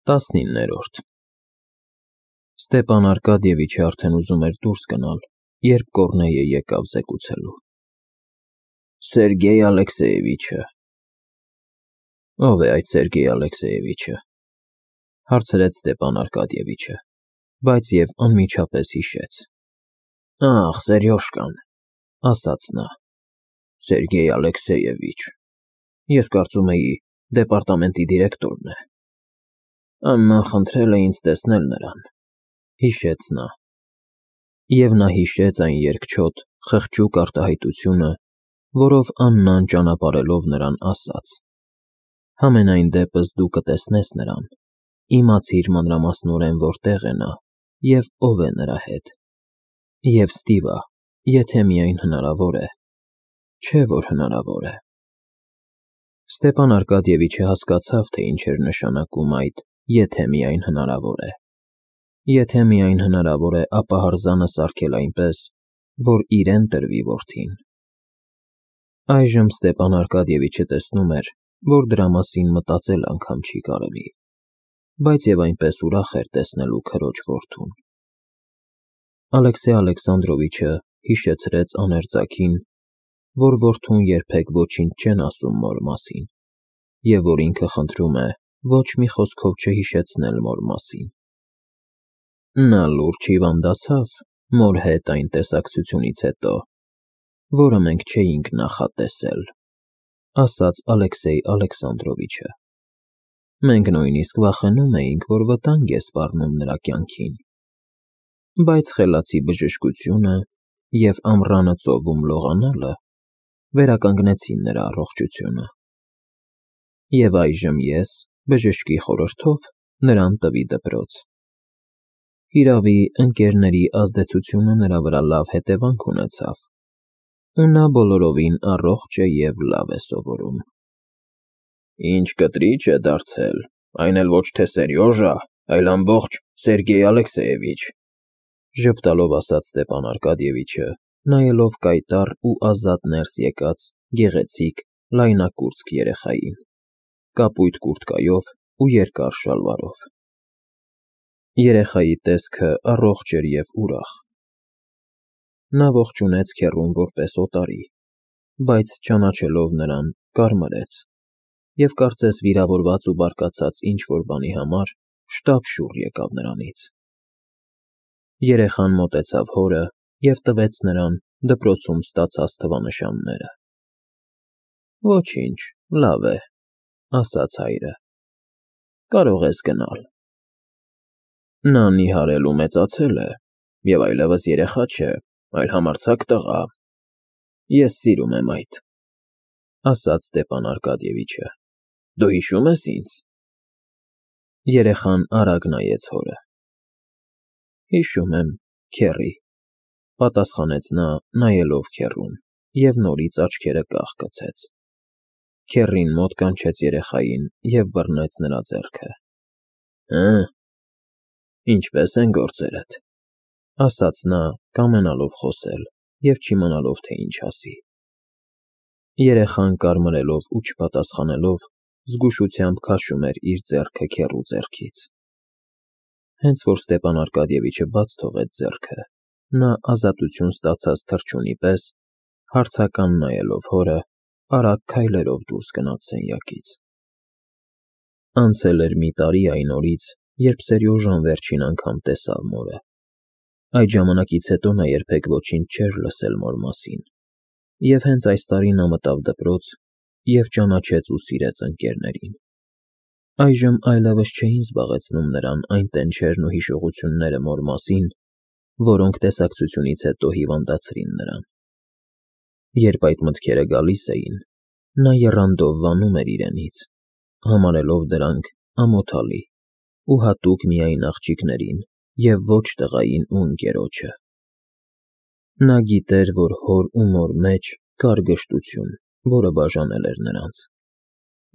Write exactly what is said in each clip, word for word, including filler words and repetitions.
Տասնիններորդ Ստեպան Արկադիևիչը արդեն ուզում էր դուրս գնալ, երբ Կոռնեյը եկավ զեկուցելու. Սերգեյ Ալեքսեևիչը։ Ո՞վ է այդ Սերգեյ Ալեքսեևիչը, հարցրեց Ստեպան Արկադիևիչը, բայց և անմիջապես հիշեց. Ախ, Սերյոժկան, ասաց նա, Սերգեյ Ալեքսեևիչ, ես կարծում էի դեպարտամենտի դիրեկտորն է։ Աննան խնդրել է ինձ տեսնել նրան, հիշեց նա, և նա հիշեց այն երկչոտ, խղճուկ արտահայտությունը, որով Աննան ճանապարհելով նրան ասաց. Համենայն դեպս դու կտեսնես նրան, իմացիր մանրամասնորեն որտեղ է նա և ով է նրա հետ, և ստիվա, եթե միայն հնարավոր է, չէ՞ որ հնարավոր է։ Ստեպան Արկադիևիչը հասկացավ, թե ինչ էր նշանակում այդ «եթե միայն հնարավոր է»։ Եթե միայն հնարավոր է ապահարզանը սարքել այնպես, որ իրեն տրվի որդին։ Այժմ Ստեպան Արկադիևիչը տեսնում էր, որ դրա մասին մտածել անգամ չի կարելի, բայց և այնպես ուրախ էր տեսնելու քրոջ որդուն։ Ալեքսեյ Ալեքսանդրովիչը հիշեցրեց աներձակին, որ որդուն երբեք ոչինչ չեն ասում մոր մասին, և որ ինքը խնդրում է ոչ մի խոսքով չհիշեցնել մոր մասին։ Նա լուրջ հիվանդացավ մոր հետ այն տեսակցությունից հետո, որը մենք չէինք նախատեսել, ասաց Ալեքսեյ Ալեքսանդրովիչը։ Մենք նույնիսկ վախենում էինք, որ վտանգ է սպառնում նրա կյանքին, բայց խելացի բժշկությունը և ամռանը ծովում լողանալը վերականգնեցին նրա առողջությունը։ Եվ այժմ ես, բժշկի խորհրդով, նրան տվի դպրոց։ Հիրավի, ընկերների ազդեցությունը նրա վրա լավ հետևանք ունեցավ, ու նա բոլորովին առողջ է և լավ է սովորում։ Ինչ կտրիչ է դարձել, այն էլ ոչ թե Սերյոժա, այլ ամբողջ Սերգեյ Ալեքսեևիչ, ժպտալով ասաց Ստեպան Արկադիևիչը, նայելով կայտառ ու ազատ ներս եկած գեղեցիկ, լայնակուրծք երեխային, կապույտ կուրտկայով ու երկար շալվարով։ Երեխայի տեսքը առողջ էր և ուրախ։ Նա ողջունեց քեռուն որպես օտարի, բայց ճանաչելով նրան, կարմրեց և կարծես վիրավորված ու բարկացած ինչ֊որ բանի համար շտապ շուռ եկավ նրանից։ Երեխան մոտեցավ հորը և տվեց նրան դպրոցում ստացած թվանշանները։ Ոչինչ, լավ է, ասաց հայրը, կարող ես գնալ։ Նա նիհարել ու մեծացել է, և այլևս երեխա չէ, այլ համարձակ տղա։ Ես սիրում եմ այդ, ասաց Ստեպան Արկադիևիչը, դու հիշո՞ւմ ես ինձ։ Երեխան արագ նայեց հորը։ Հիշում եմ, քեռի, պատասխանեց նա, նայելով քեռուն, և նորից աչքերը կաղ գցեց։ Քեռին մոտ կանչեց երեխային և բռնեց նրա ձեռքը։ Հը՞, ինչպե՞ս են գործերդ, ասաց նա, կամենալով խոսել և չիմանալով, թե ինչ ասի։ Երեխան կարմրելով ու չպատասխանելով, զգուշությամբ քաշում էր իր ձեռքը քեռու ձեռքից։ Հենց որ Ստեպան Արկադիևիչը բաց թողեց ձեռքը, նա ազատություն ստացած թռչունի պես, հարցական նայելով հորը, արագ քայլերով դուրս գնաց սենյակից։ Անցել էր մի տարի այն օրից, երբ Սերյոժան վերջին անգամ տեսավ մորը։ Այդ ժամանակից հետո նա երբեք ոչինչ չէր լսել մոր մասին, և հենց այս տարի նա մտավ դպրոց և ճանաչեց ու սիրեց ընկերներին։ Այժմ այլևս չէին զբաղեցնում նրան այն տենչերն ու հիշողությունները մոր մասին, որոնք տեսակցությունից հետո հիվանդացրին նրան։ Երբ այդ մտքերը գալիս էին, նա եռանդով վանում էր իրենից, համարելով դրանք ամոթալի ու հատուկ միայն աղջիկներին և ոչ տղային ու ընկերոջը։ Նա գիտեր, որ հոր ու մոր մեջ կար գժտություն, որը բաժանել էր նրանց։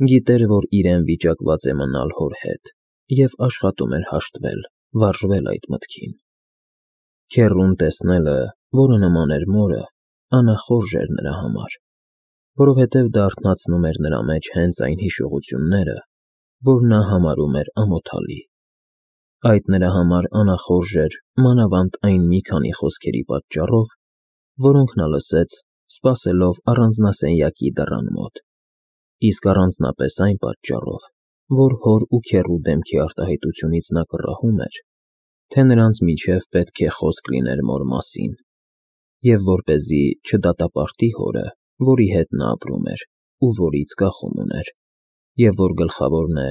Գիտեր, որ իրեն վիճակված է մնալ հոր հետ և աշխատում էր հաշտվել, վարժվել այդ մտքին։ Քեռուն տեսնելը, որը նման էր մորը, անախորժ էր նրա համար, որովհետև դա արթնացնում էր նրա մեջ հենց այն հիշողությունները, որ նա համարում էր ամոթալի։ Այդ նրա համար անախորժ էր մանավանդ այն մի քանի խոսքերի պատճառով, որոնք նա լսեց, սպասելով առանձնասենյակի դռան մոտ, իսկ առանձնապես այն պատճառով, որ հոր ու քեռու դեմքի արտահայտությունից նա կռահում էր, թե նրանց միջև պետք է խոսք լիներ մոր մասին, և որպեսզի չդատապարտի հորը, որի հետ նա ապրում էր ու որից կախում ուներ, և որ գլխավորն է,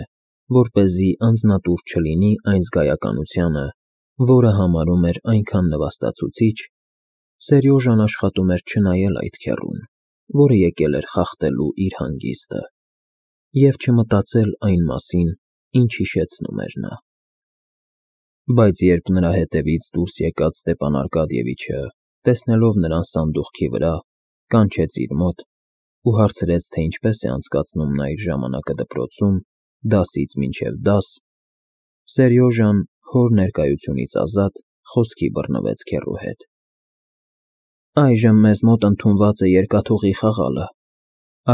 որպեսզի անձնատուր չլինի այն զգայականությանը, որը համարում էր այնքան նվաստացուցիչ, Սերյոժան աշխատում էր չնայել այդ քեռուն, որը եկել էր խախտելու իր հանգիստը, և չմտածել այն մասին, ինչ հիշեցնում էր նա։ Բայց երբ նրա հետևից դուրս եկած Ստեպան Արկադիևիչը, տեսնելով նրան սանդուղքի վրա, կանչեց իր մոտ ու հարցրեց, թե ինչպես է անցկացնում նա իր ժամանակը դպրոցում, դասից մինչև դաս, Սերյոժան, հոր ներկայությունից ազատ, խոսքի բռնվեց քեռու հետ։ «Այժմ մեզ մոտ ընդունված է երկաթուղի խաղալը»,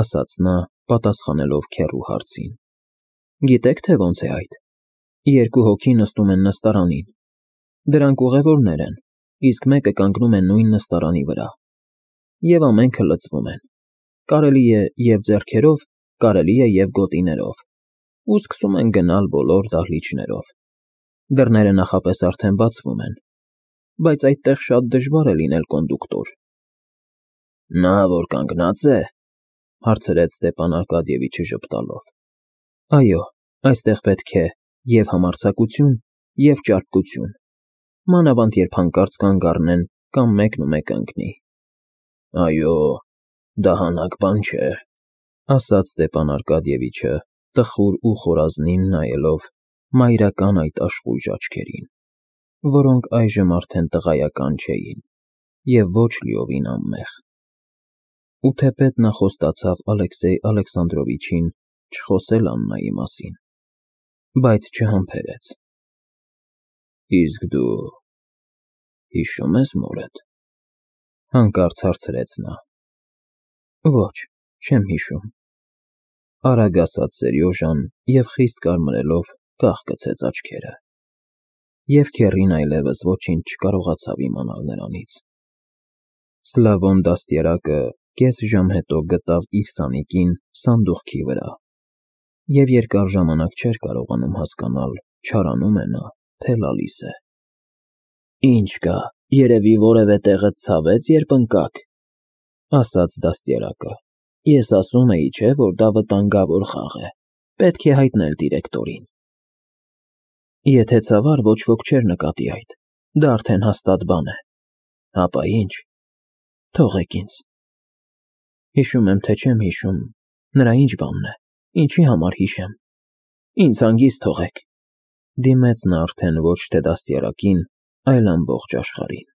ասաց նա, պատասխանելով քեռու հարցին։ «Գիտեք, թե ոնց է այդ։ Երկու հոգի նստում են նստարանին։ Դրանք ուղևորներ են, իսկ մեկը կանգնում է նույն նստարանի վրա։ Եվ ամենքը լցվում են։ Կարելի է և ձեռքերով, կարելի է և գոտիներով, ու սկսում են գնալ բոլոր դահլիճներով։ Դռները նախապես արդեն բացվում են, բայց այդտեղ շատ դժվար է լինել կոնդուկտոր»։ «Նա, որ կանգնած է,֊ հարցրեց Ստեպան Արկադիևիչը ժպտալով։ «Այո, այստեղ պետք է և՛ համարձակություն, և՛ ճարպկություն, մանավանդ երբ հանկարծ կանգ առնեն կամ մեկն ու մեկը ընկնի»։ «Այո, դա հանաք բան չէ,֊ ասաց Ստեպան Արկադիևիչը, տխուր ու խորազնին նայելով մայրական այդ աշխույժ աչքերին, որոնք այժմ արդեն տղայական չէին և ոչ լիովին անմեղ։ Ու թեպետ նա խոստացավ Ալեքսեյ Ալեքսանդրովիչին չխոսել Աննայի մասին, բայց չհամբերեց։ «Իսկ դու հիշո՞ւմ ես մորդ,֊ հանկարծ հարցրեց նա։ «Ոչ, չեմ հիշում,֊ արագ ասաց Սերյոժան և խիստ կարմրելով կախկցեց աչքերը, և քեռին այլևս ոչինչ չկարողացավ իմանալ նրանից։ Սլավոն դաստիարակը կես ժամ հետո գտավ իր սանիկին սանդուղքի վրա և երկար ժամանակ չէր կարողանում հասկանալ չարանում է նա, թե լալիս է։ «Ինչ կա, երևի որևէ տեղդ ցավեց, երբ ընկաք,֊ ասաց դաստիարակը։ Ես ասում էի, չէ՞, որ դա վտանգավոր խաղ է, պետք է հայտնել դիրեկտորին։ Եթե ցավար, ոչ ոք չէր նկատի այդ, դա արդեն հաստատ բան է։ Հապա ի՞նչ, թողեք ինձ։ Հիշում եմ, թե չեմ հիշում, նրա ի՞նչ բանն է, ինչի համար հիշեմ։ Ինձ հանգիստ թողեք,֊ դիմեց նա արդեն ոչ թե դաստիարակին, այլ ամբողջ աշխարհին։